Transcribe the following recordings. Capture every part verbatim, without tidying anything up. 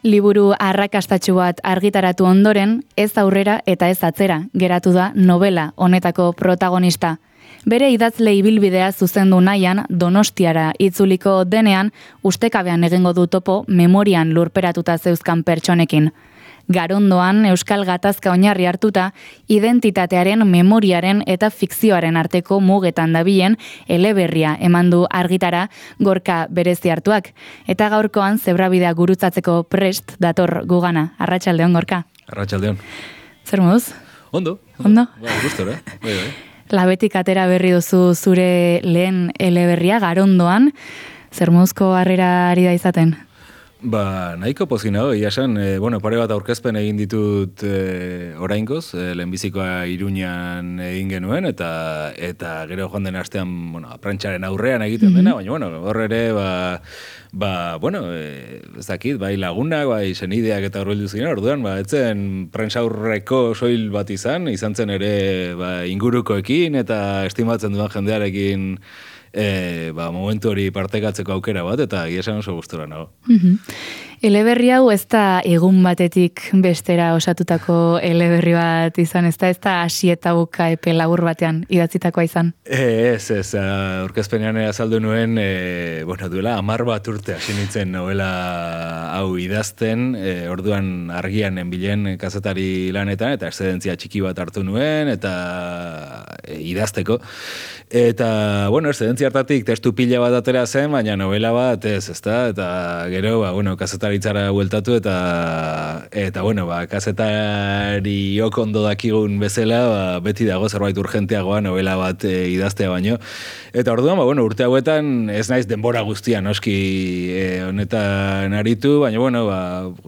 Liburu arrakastatsu bat argitaratu ondoren, ez aurrera eta ez atzera geratu da novela honetako protagonista. Bere idazle ibilbidea zuzendu nahian Donostiara itzuliko denean, ustekabean egingo du topo memorian lurperatuta zeuzkan pertsonekin. Garondoan Euskal Gatazka oinarri hartuta, identitatearen, memoriaren eta fikzioaren arteko mugetan dabilen eleberria eman du argitara Gorka berezi hartuak. Eta gaurkoan zebrabidea gurutzatzeko prest dator gugana. Arratsaldeon Gorka. Arratsaldeon. Zer moduz? Ondo. Ondo? Ba, gustora. Bai, bai. Labetik atera berri duzu zure lehen eleberria Garondoan. Zer moduzko harrera ari da izaten? Ba, nahiko pozik nago, ia esan, e, bueno, pare bat aurkezpen egin ditut e, oraingoz, e, lehenbizikoa Iruñan egin genuen, eta eta gero joan den astean, bueno, prentxaren aurrean egiten dena, baina, bueno, hor ere, ba, ba bueno, e, ez dakit, bai lagunak, bai senideak eta horreldu ziren, orduan, ba, etzen prentxaurreko soil bat izan, izan zen ere, ba, ingurukoekin, eta estimatzen duan jendearekin, E, ba, momentu hori partekatzeko aukera bat, eta esan oso gustora nago. Mm-hmm. Eleberri hau ez da egun batetik bestera osatutako eleberri bat izan, ez da ez da hasi eta buka epe labur batean idatzitakoa izan? E, ez, ez, aurkezpenean azaldu nuen, e, bueno, duela hamar bat urte hasi nintzen novela hau idazten, e, orduan argian enbilen kazetari lanetan, eta excedentzia txiki bat hartu nuen, eta e, idazteko. Eta, bueno, excedentzia hartatik testu pila bat atera zen, baina novela bat ez, ezta? Eta gero, ba, bueno, kazetaritzara bueltatu, eta, eta bueno, ba, kazetari okondo dakigun bezala, ba, beti dago zerbait urgenteagoa novela bat e, idaztea baino. Eta orduan, ba, bueno, urte hauetan ez naiz denbora guztia noski e, honetan aritu, baina, bueno, ba,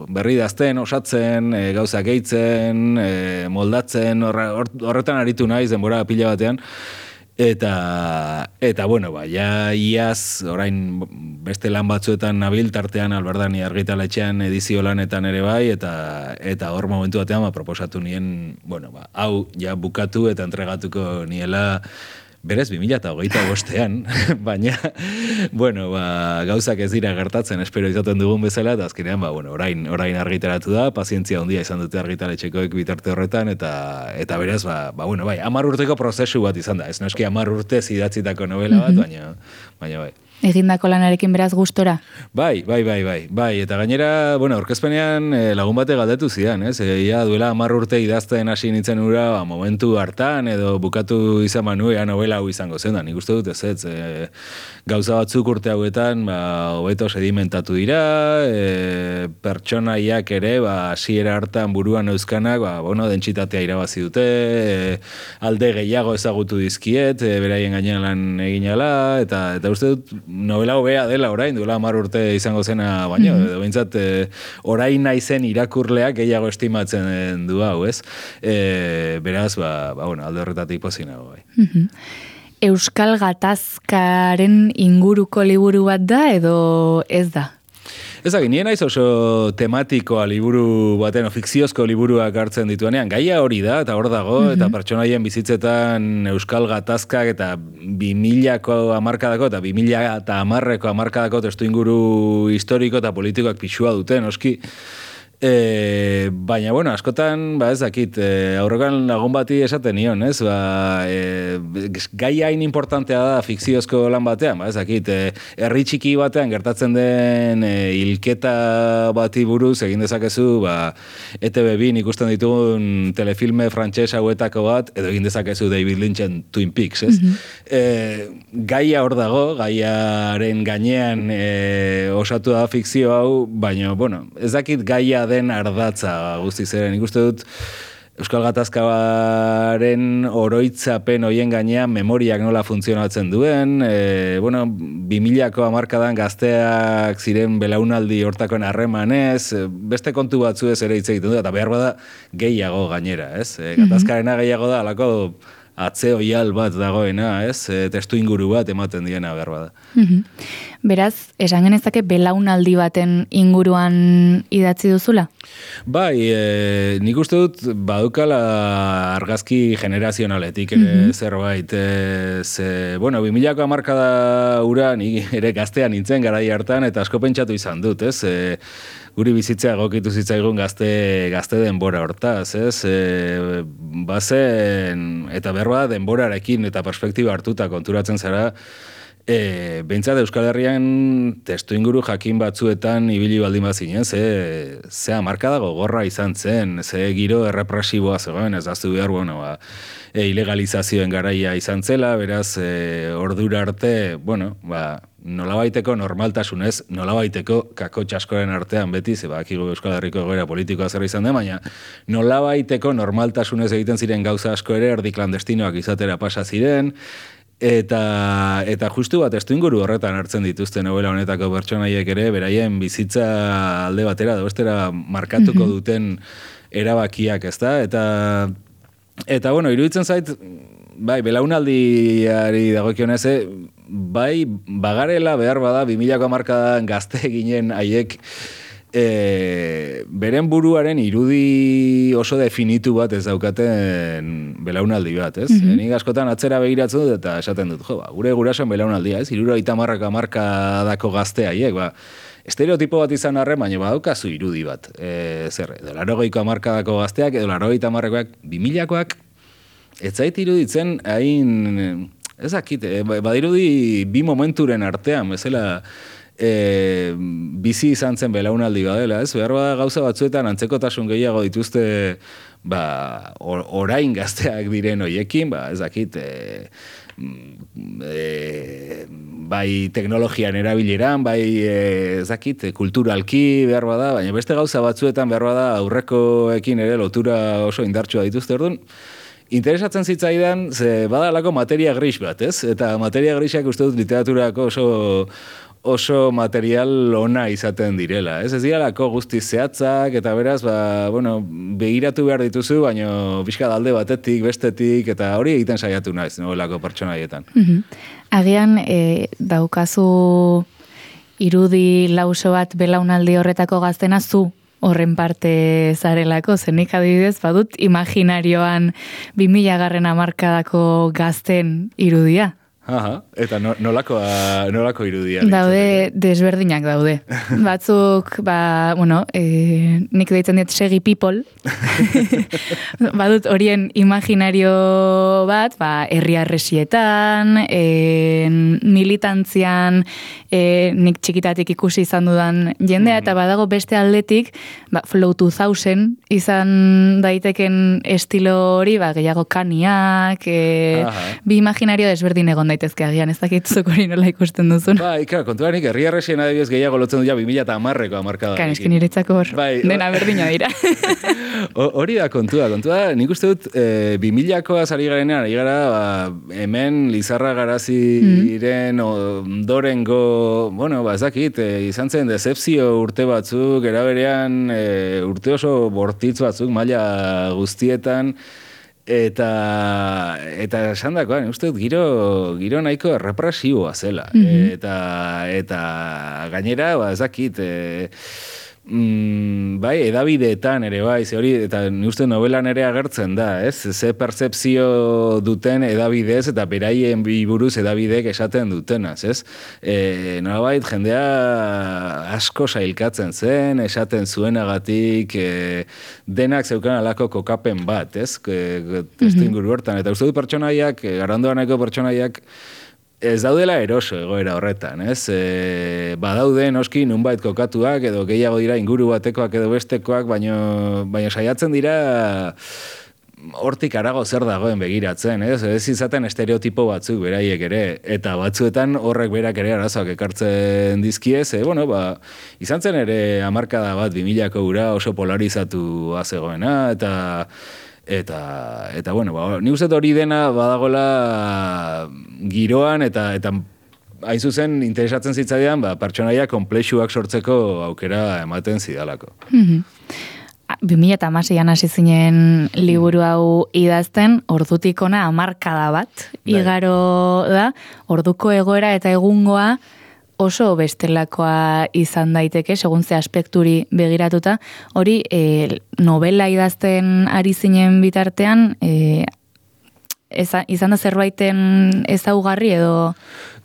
berri idazten, osatzen, e, gauzak gehitzen, e, moldatzen, horretan aritu naiz denbora pila batean. Eta, eta bueno, ba, ja iaz, orain beste lan batzuetan nabil, tartean Alberdani argitaletxean edizio lanetan ere bai, eta eta hor momentu batean ba, proposatu nien, bueno, ba, hau ja bukatu eta entregatuko niela berez bi mila hogeita bostean, baina, bueno, ba, gauzak ez dira gertatzen, espero izaten dugun bezala, eta azkenean, ba, bueno, orain, orain argitaratu da, pazientzia handia izan dute argitaletxekoek bitarte horretan, eta eta beraz, ba, ba bueno, bai, hamar urteko prozesu bat izan da, ez noski hamar urte idatzitako novela bat, baina, baina bai. Egindako lanarekin beraz gustora? Bai, bai, bai, bai, bai, eta gainera, bueno, aurkezpenean eh, lagun bate galdetu zidan, ez? E, ia duela hamar urte idazten hasi nintzen ura, ba, momentu hartan, edo bukatu izan manu, ea novela hau izango zen da, nik uste dut ez, ez, e, gauza batzuk urte hauetan, ba, hobeto sedimentatu dira, e, pertsonaiak ere, ba, hasiera hartan buruan euskanak, ba, bueno, dentsitatea irabazi dute, e, alde gehiago ezagutu dizkiet, e, beraien gainean lan egin ala, eta, eta uste dut, novela hobea dela orain, duela hamar urte izango zena, baina, mm-hmm. behintzat, e, orain naizen irakurleak gehiago estimatzen du hau, ez? E, beraz, ba, ba, bueno, alde horretatik pozinago, bai. Mm-hmm. Euskal Gatazkaren inguruko liburu bat da, edo ez da? Ez da, nien naiz oso tematikoa liburu baten, fikziozko liburuak hartzen dituenean, gaia hori da, eta hor dago, mm-hmm. eta pertsonaien bizitzetan Euskal Gatazkak eta bi milako hamarkadako eta bi mila eta hamarreko hamarkadako testu inguru historiko eta politikoak pixua duten, oski. E, baina, bueno, askotan, ba ez dakit, e, aurrekan lagun bati esaten nion, ez? Ba, e, gai hain importantea da fikziozko lan batean, ba ez dakit, e, herri txiki batean gertatzen den e, hilketa bati buruz egin dezakezu, ba, E Te Be bin ikusten ditugun telefilme frantses hauetako bat, edo egin dezakezu David Lynchen Twin Peaks, ez? Mm-hmm. E, gaia hor dago, gaiaren gainean e, osatu da fikzio hau, baina, bueno, ez dakit gaia den ardatza guztiz ere. Nik uste dut Euskal Gatazkaren oroitzapen hoien gainean memoriak nola funtzionatzen duen, e, bueno, bi milako hamarkadan gazteak ziren belaunaldi hortakoen harremanez, beste kontu batzu ez ere hitz egiten du, eta behar bada gehiago gainera, ez? E, Gatazkarena gehiago da, alako atze oial bat dagoena, ez? E, testu inguru bat ematen diena behar bada. Mm-hmm. Beraz, esan genezake belaunaldi baten inguruan idatzi duzula? Bai, e, nik uste dut badukala argazki generazionaletik ere mm-hmm. zerbait. E, ze, bueno, bi milako hamarkada ura ni ere gaztean nintzen garai hartan eta asko pentsatu izan dut, ez? E, guri bizitzea egokitu zitzaigun gazte, gazte denbora hortaz, ez? E, bazen, eta berba denborarekin eta perspektiba hartuta konturatzen zara, E, behintzat Euskal Herrian testu inguru jakin batzuetan ibili baldin bazinen, ze, ze hamarkada gogorra izan zen, ze giro errepresiboa zegoen, ez daztu behar, bueno, ba, e, ilegalizazioen garaia izan zela, beraz, e, ordura arte, bueno, ba, nolabaiteko normaltasunez, nolabaiteko kako txaskoren artean beti, ze bakigu Euskal Herriko egoera politikoa zer izan den, baina nolabaiteko normaltasunez egiten ziren gauza asko ere, erdi klandestinoak izatera pasa ziren, Eta, eta justu bat testu inguru horretan hartzen dituzte novela honetako pertsonaiek ere, beraien bizitza alde batera, bestera markatuko duten erabakiak, ezta? Eta, eta bueno, iruditzen zait, bai, belaunaldiari dagokionez, bai, bagarela behar bada, bi milako hamarkadan gazte ginen haiek, E, beren buruaren irudi oso definitu bat ez daukaten belaunaldi bat, ez? Mm-hmm. Nik askotan atzera begiratzen dut eta esaten dut, jo, ba, gure gurasoen belaunaldia, ez? Hirurogeita hamarrako hamarkadako gazte haiek, ba, estereotipo bat izan arren, baina badaukazu irudi bat. E, zer, edo laurogeiko hamarkadako gazteak, edo laurogeita hamarrekoak, bi milakoak, ez zait iruditzen hain, ez dakit, badirudi bi momenturen artean, bezala, E, bizi izan zen belaunaldi badela, ez? Behar bada gauza batzuetan antzekotasun gehiago dituzte ba, or, orain gazteak diren hoiekin, ba, ez dakit, e, e, bai teknologian erabileran, bai e, ez dakit, kulturalki behar bada, baina beste gauza batzuetan behar bada aurrekoekin ere lotura oso indartsua dituzte, orduan, interesatzen zitzaidan, ze badalako materia gris bat, ez? Eta materia grisak uste dut literaturako oso oso material ona izaten direla, ez? Ez diralako guzti zehatzak, eta beraz, ba, bueno, begiratu behar dituzu, baina pixka alde batetik, bestetik, eta hori egiten saiatu naiz, novelako pertsonaietan. Mm-hmm. Agian, e, daukazu irudi lauso bat belaunaldi horretako gaztena zu horren parte zarelako, zenik adibidez, badut imaginarioan bi mila garren hamarkadako gazten irudia. Aha, eta no, nolako, nolako irudia? Daude, desberdinak daude. Batzuk, ba, bueno, e, nik deitzen diet segi people. Badut horien imaginario bat, ba, herri arresietan, e, militantzian, e, nik txikitatik ikusi izan dudan jendea, mm. eta badago beste aldetik, ba, Flow two thousand izan daiteken estilo hori, ba, gehiago kaniak, e, bi imaginario desberdin egon daitezke agian, ez dakituzuk hori nola ikusten duzun. Ba, ikara, kontua nik herri arresien adibidez gehiago lotzen du ja bi mila eta hamarreko hamarkada. Kan, eskin niretzako hor, bai, dena berdina dira. Hori da kontua, kontua, nik uste dut e, bi milakoaz ari garenean, ari gara, ba, hemen Lizarra Garaziren mm. ondorengo, bueno, ba, ez dakit, e, izan zen decepzio urte batzuk, eraberean e, urte oso bortitz batzuk, maila guztietan, Eta, eta esan dakoan, uste dut, giro, giro nahiko errepresiboa zela. Mm-hmm. Eta, eta gainera, ba, ez dakit, e, mm, bai, edabideetan ere, bai, ze hori, eta uste novelan ere agertzen da, ez? Ze pertzepzio duten edabidez, eta beraien buruz edabideek esaten dutenaz, ez? E, nolabait, jendea asko sailkatzen zen, esaten zuenagatik, e, denak zeukan alako kokapen bat, ez? E, testu inguru hortan, eta uste du pertsonaiak, e, Garandoaneko pertsonaiak, ez daudela eroso egoera horretan, ez? E, badaude noski nunbait kokatuak, edo gehiago dira inguru batekoak edo bestekoak, baino, baino saiatzen dira hortik arago zer dagoen begiratzen, ez? Ez izaten estereotipo batzuk beraiek ere, eta batzuetan horrek berak ere arazoak ekartzen dizkiez, e, bueno, ba, izan zen ere hamarkada bat bi milako ura oso polarizatu zegoena, eta Eta, eta bueno, ba, ni uste hori dena badagola giroan, eta, eta hain zuzen interesatzen zitzaidan, ba, pertsonaia konplexuak sortzeko aukera ematen zidalako. Mm-hmm. bi mila eta hamaseian hasi zinen liburu hau idazten, ordutik ona hamarkada bat, igaro da, orduko egoera eta egungoa oso bestelakoa izan daiteke, segun ze aspekturi begiratuta, hori e, novela idazten ari zinen bitartean, e, eza, izan da zerbaiten ezaugarri edo...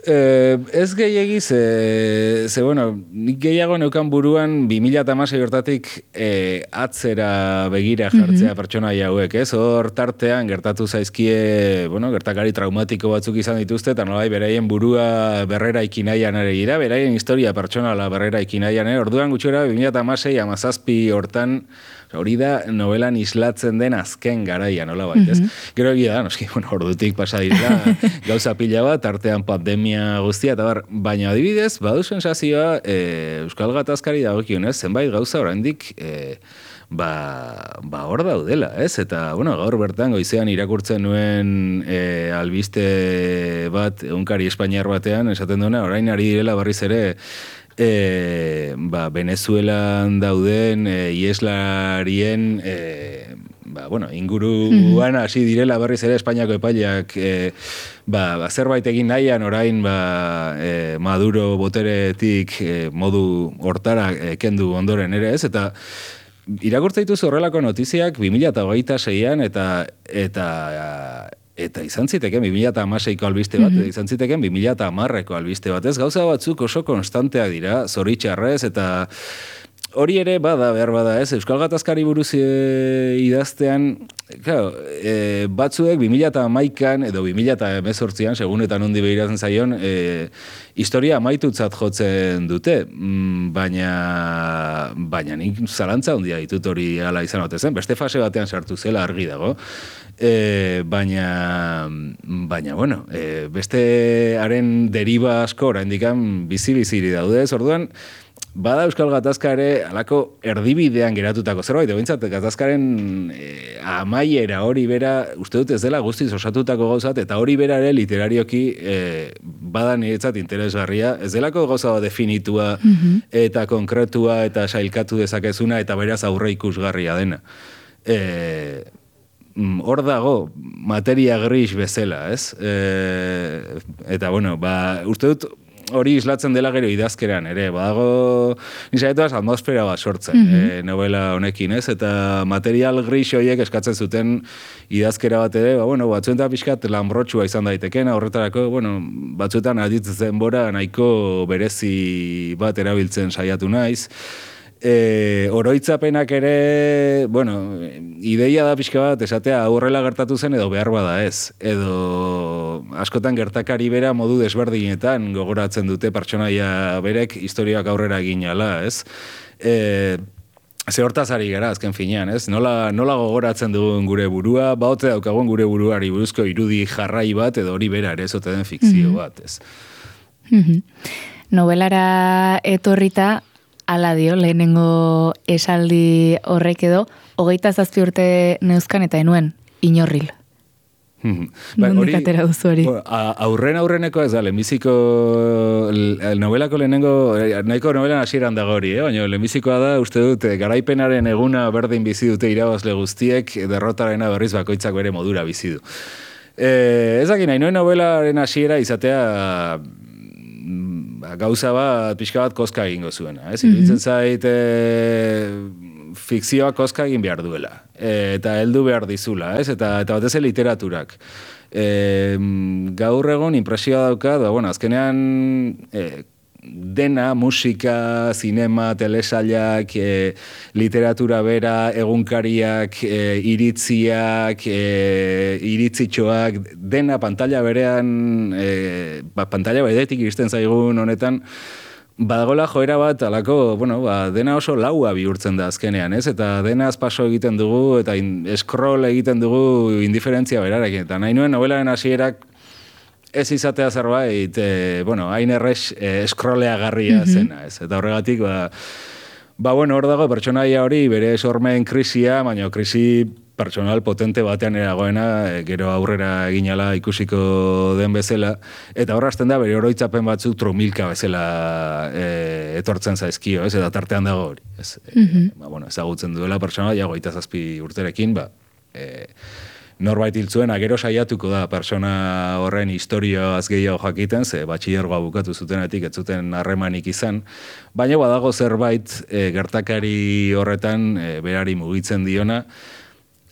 Eh, ez gehiagiz, ze, ze bueno, nik gehiago neukan buruan bi mila hamasei hortatik eh, atzera begira jartzea mm-hmm. pertsonaia hauek, ez? Hor tartean gertatu zaizkie, bueno, gertakari traumatiko batzuk izan dituzte, eta nolai beraien burua berrera ikinaian ere gira, beraien historia pertsonala berrera ikinaian ere, orduan gutxora bi mila hamasei hamazazpi hortan, hori da novelan islatzen den azken garaia, nola bait, ez? Mm-hmm. Gero egia da, noski, bueno, ordutik pasa dira, gauza pila bat, tartean pandemia guztia, eta bar, baina adibidez, badu sensazioa, e, Euskal Gatazkari dagokionez, zenbait gauza oraindik e, ba, ba hor daudela, ez? Eta, bueno, gaur bertan goizean irakurtzen nuen e, albiste bat, egunkari espainiar batean, esaten duena, orain ari direla berriz ere, E, ba, Venezuelan dauden e, ieslarien e, ba, bueno, inguruan hasi direla berriz ere Espainiako epaileak e, ba, zerbait egin nahian orain ba, e, Maduro boteretik e, modu hortara e, kendu ondoren ere ez, eta irakurtza dituzu horrelako notiziak bi mila hogeita seian eta eta Eta izan ziteken bi mila hamaseiko albiste bat, mm-hmm. izan ziteken bi mila hamarreko albiste bat. Ez gauza batzuk oso konstantea dira, zoritxarrez, eta hori ere bada, behar bada, ez? Euskal Gatazkari buruz e, idaztean, claro, e, batzuek bi mila hamaikan edo bi mila hemezortzian, segun eta nondi behiratzen zaion, e, historia amaitutzat jotzen dute, mm, baina, baina nik zalantza handia ditut hori ala izan otezen, beste fase batean sartu zela argi dago. E, baina, baina, bueno, e, beste haren deriba asko oraindikan bizi-biziri daude, ez orduan, bada Euskal Gatazka ere alako erdibidean geratutako zerbait, behintzat gatazkaren e, amaiera hori bera, uste dut ez dela guztiz osatutako gauzat, eta hori bera ere literarioki e, bada niretzat interesgarria, ez delako gauza definitua mm-hmm. eta konkretua eta sailkatu dezakezuna eta beraz aurre ikusgarria dena. E, hor dago materia gris bezala, ez? E, eta, bueno, ba, uste dut hori islatzen dela gero idazkeran, ere, badago nisaetuaz atmosfera bat sortzen, mm-hmm. e, novela honekin, ez? Eta material gris horiek eskatzen zuten idazkera bat ere, ba, bueno, batzuetan pixkat lanbrotxua izan daiteken, horretarako, bueno, batzuetan aditzen bora nahiko berezi bat erabiltzen saiatu naiz. E, oroitzapenak ere, bueno, ideia da pixka bat, esatea aurrela gertatu zen edo behar bada ez, edo askotan gertakari bera modu desberdinetan gogoratzen dute pertsonaia berek historiak aurrera ginala, ez? E, ze hortaz ari gara, azken finean, ez? Nola, nola gogoratzen dugun gure burua, baote daukagun gure buruari buruzko irudi jarrai bat, edo hori bera ere ezote den fikzio mm-hmm. bat, ez? Mm-hmm. Novelara etorrita, ala dio, lehenengo esaldi horrek edo, hogeita zazpi urte neuzkan eta enuen, inorril. Nondik atera duzu hori? Aurren aurreneko ez da, lehenbiziko, novelako lehenengo, nahiko novelan hasieran dago hori, eh? Baina lehenbizikoa da, uste dut, garaipenaren eguna berdin bizi dute irabazle guztiek, derrotarena berriz bakoitzak bere modura bizi du. Eh, ez dakit, nahi noen novelaren hasiera izatea gauza bat, pixka bat koska egingo zuena. Ez? Mm-hmm. Iruditzen zait e, fikzioa koska egin behar duela. E, eta heldu behar dizula, ez? Eta, eta batez literaturak. E, gaur egon impresioa daukat, ba, bueno, azkenean e, dena, musika, zinema, telesailak, e, literatura bera, egunkariak, e, iritziak, e, iritzitxoak, dena pantalla berean, e, ba, pantalla beretik iristen zaigun honetan, badagola joera bat, alako, bueno, ba, dena oso laua bihurtzen da azkenean, ez? Eta dena azpaso egiten dugu, eta in, scroll egiten dugu indiferentzia berarekin. Eta nahi nuen novelaren hasierak ez izatea zerbait, e, bueno, hain errex e, scrolleagarria mm-hmm. zena, ez? Eta horregatik, ba, ba, bueno, hor dago pertsonaia hori bere sormen krisia, baina krisi pertsonal potente batean eragoena, e, gero aurrera eginala ikusiko den bezala, eta hor hasten da bere oroitzapen batzuk trumilka bezala e, etortzen zaizkio, ez? Eta tartean dago hori, ez? Mm-hmm. E, ba, bueno, ezagutzen duela pertsonaia hogeita zazpi urterekin, ba, e, norbait hiltzuena, gero saiatuko da persona horren historioaz gehiago jakiten, ze batxilergoa bukatu zutenetik ez zuten harremanik izan, baina badago zerbait e, gertakari horretan e, berari mugitzen diona,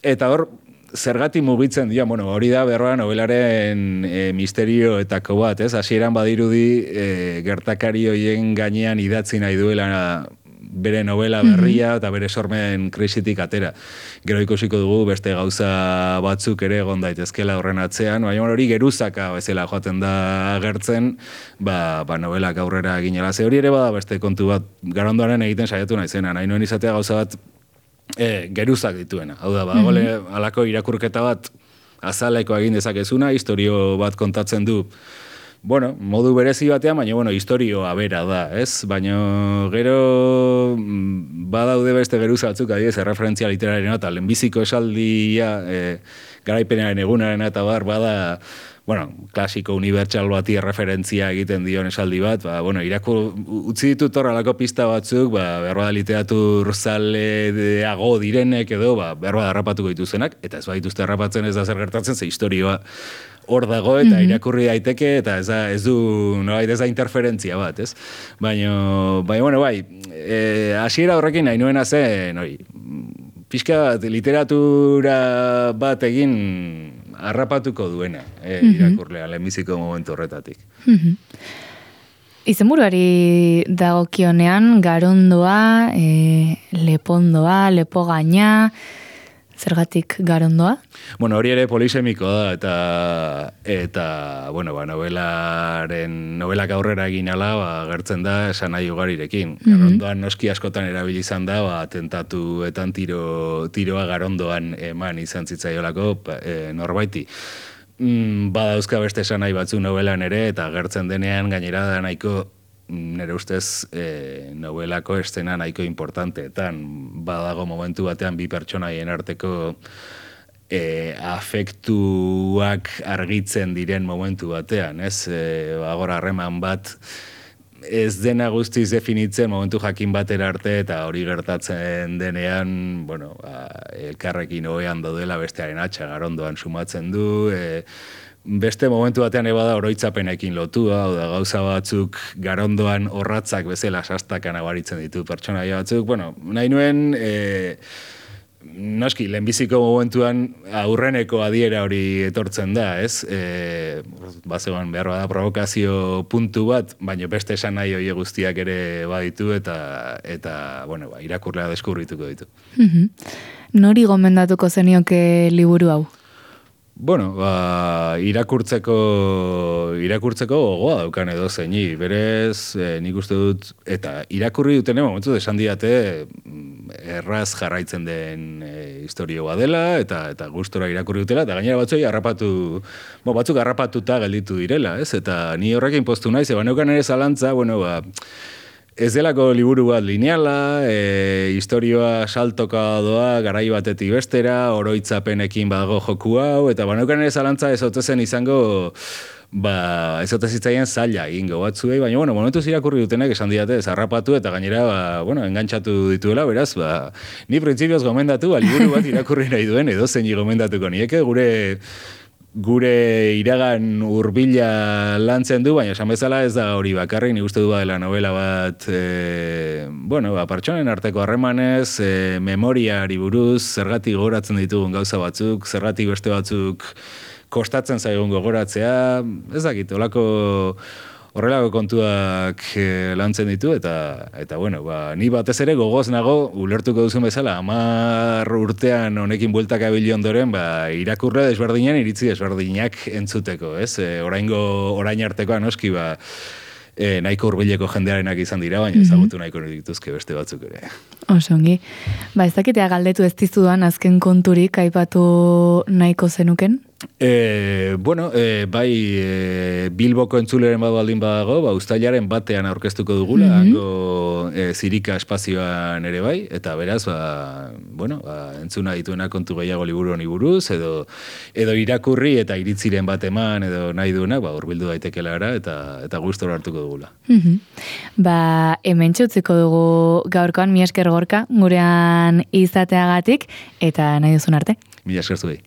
eta hor, zergatik mugitzen dira, bueno, hori da berroa nobelaren e, misterioetako bat, ez? Hasieran badirudi e, gertakari hoien gainean idatzi nahi duela bere novela berria eta bere sormen krisitik atera. Gero ikusiko dugu beste gauza batzuk ere egon daitezkela horren atzean, baina hori geruzaka bezala joaten da agertzen, ba, ba novelak aurrera ginela. Ze hori ere bada beste kontu bat, Garondoaren egiten saiatu naizena, nahi nuen izatea gauza bat e, geruzak dituena. Hau da, ba, gole, alako irakurketa bat azaleko egin dezakezuna, historio bat kontatzen du, bueno, modu berezi batean, baina, bueno, historioa bera da, ez? Baina gero badaude beste geruza batzuk, adibidez, erreferentzia literarena eta lehenbiziko esaldia, e, garaipenaren egunaren eta bar, bada, bueno, klasiko unibertsal bati erreferentzia egiten dion esaldi bat, ba, bueno, irakur, utzi ditut horrelako pista batzuk, ba, behar bada literatur zaleago direnek edo, ba, behar bada harrapatuko dituzenak, eta ez badituzte harrapatzen ez da zer gertatzen, ze historioa hor dago eta irakurri daiteke eta ez, da, ez du nolait ez da interferentzia bat, ez? Baina, baina bueno, bai, e, hasiera horrekin nahi nuena zen, hori, pixka bat literatura bat egin harrapatuko duena, e, irakurlea, lehenbiziko momentu horretatik. Izenburuari dagokionean, Garondoa, e, Lepondoa, Lepogaina, zergatik Garondoa? Bueno, hori ere polisemiko da, eta, eta bueno, ba, novelaren, novelak aurrera egin ala, ba, gertzen da, esan nahi ugarirekin. Garondoan noski askotan erabili izan da, ba, tentatuetan tiro, tiroa Garondoan eman izan zitzaiolako e, norbaiti. Mm, badauzka beste esan nahi batzu novelan ere, eta gertzen denean gainera da nahiko nire ustez e, novelako estena nahiko importanteetan. Badago momentu batean bi pertsonaien arteko e, afektuak argitzen diren momentu batean, ez? E, agora harreman bat ez dena guztiz definitzen momentu jakin batera arte eta hori gertatzen denean, bueno, ba, elkarrekin ohean daudela bestearen atxa Garondoan sumatzen du, e, beste momentu batean eba da oroitzapenekin lotua, hau da gauza batzuk Garondoan orratzak bezala sastakan abaritzen ditu pertsonaia batzuk. Bueno, nahi nuen, e, noski, lehenbiziko momentuan aurreneko adiera hori etortzen da, ez? E, bazegoan behar bada provokazio puntu bat, baina beste esan nahi hori guztiak ere baditu eta, eta bueno, ba, irakurlea deskubrituko ditu. Nori gomendatuko zenioke liburu hau? Bueno, ba, irakurtzeko irakurtzeko gogoa daukan edo zeini, berez e, nik uste dut, eta irakurri duten momentu esan diate erraz jarraitzen den e, historioa dela, eta eta gustora irakurri dutela, eta gainera batzoi harrapatu, bo, batzuk harrapatuta gelditu direla, ez? Eta ni horrekin postu naiz, eba neukan ere zalantza, bueno, ba, ez delako liburu bat lineala, e, historioa saltoka doa, garai batetik bestera, oroitzapenekin badago joku hau, eta baneukan ere zalantza ez otezen izango, ba, ez otezitzaien zaila egingo batzuei, baina, bueno, momentuz irakurri dutenek esan diate, zarrapatu eta gainera, ba, bueno, engantzatu dituela, beraz, ba, ni printzipioz gomendatu, ba, liburu bat irakurri nahi duen, edo zein gomendatuko nieke, gure gure iragan hurbila lantzen du, baina esan bezala ez da hori bakarrik, ni uste du dela novela bat, e, bueno, ba, pertsonen arteko harremanez, e, memoriari buruz, zergatik gogoratzen ditugun gauza batzuk, zergatik beste batzuk kostatzen zaigun gogoratzea, ez dakit, olako horrelako kontuak e, lantzen ditu, eta, eta bueno, ba, ni batez ere gogoz nago, ulertuko duzun bezala, hamar urtean honekin bueltak abili ondoren, ba, irakurre desberdinen, iritzi desberdinak entzuteko, ez? E, oraingo, orain artekoa noski, ba, e, nahiko hurbileko jendearenak izan dira, baina ezagutu nahiko dituzke beste batzuk ere. Osongi. Ba, ez dakitea galdetu ez dizudan azken konturik aipatu nahiko zenuken? E, bueno, e, bai e, Bilboko entzuleren bat baldin badago, ba, uztailaren batean aurkeztuko dugula, mm-hmm. hango e, zirika espazioan ere bai, eta beraz, ba, bueno, ba, entzuna dituena kontu gehiago liburu honi buruz, edo, edo irakurri eta iritziren bat eman, edo nahi duena, ba, urbildu daitekela gara, eta, eta gustora hartuko dugula. Mm-hmm. Ba, hemen txutziko dugu gaurkoan, mi esker Gorka, gurean izateagatik, eta nahi duzun arte. Mila esker zuei.